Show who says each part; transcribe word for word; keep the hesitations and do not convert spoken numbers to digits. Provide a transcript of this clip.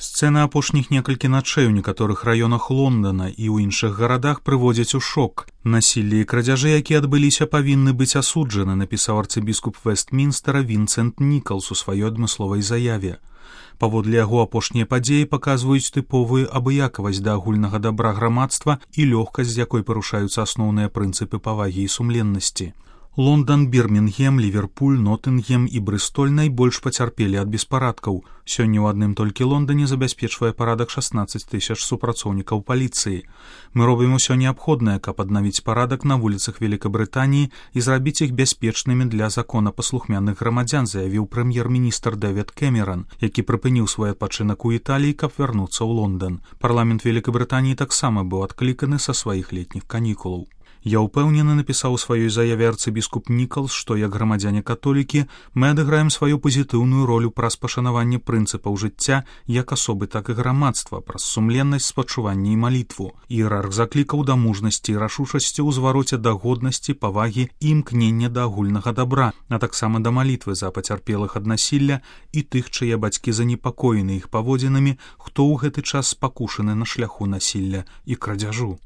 Speaker 1: Сцэна апошніх некалькі начэй у некаторых раёнах Лондона і ў іншых гарадах прыводзяць у шок. Насілле і крадзяжы, якія адбыліся, павінны быць асуджаны, напісаў арцыбіскуп Вестмінстера Вінсент Нікалс у сваёй адмысловай заяве. Паводле яго апошнія падзеі паказваюць тыповую абыякавасць да агульнага дабра грамадства і лёгкасць, з якой парушаюцца асноўныя прынцыпы павагі і сумленнасці. Лондан, Бірмінгем, Ліверпуль, Нотынгем і Брыстоль найбольш пацярпелі ад беспарадкаў. Сёння ў адным толькі Лондане забяспечвае парадак шаснаццаць тысяч супрацоўнікаў паліцыі. Мы робім усё неабходнае, каб аднавіць парадак на вуліцах Великабрытаніі і зрабіць іх бяспечнымі для законапаслухмяных грамадзян, заявіў прэм'ер-міністр Дэвід Кэмеран, які прыпыніў свой адпачынак у Італіі, каб вярнуцца ў Лондан. Парламент Великабрытаніі таксама быў адкліканы са сваіх летніх канікулаў. Я ўпэўнены, напісаў у сваёй заяве арцыбіскуп Нікалс, што як грамадзяне-католікі мы адыграем сваю пазітыўную ролю праз пашанаванне прынцыпаў жыцця як асобы, так і грамадства, праз сумленнасць, спачуванне і малітву. Іерарх заклікаў да мужнасці і рашучасці ў звароце да годнасці, павагі і імкнення да агульнага дабра, а таксама да малітвы за пацярпелых ад насілля і тых, чые бацькі занепакоены іх паводзінамі, хто ў гэты час спакушаны на шляху насілля і крадзяжу.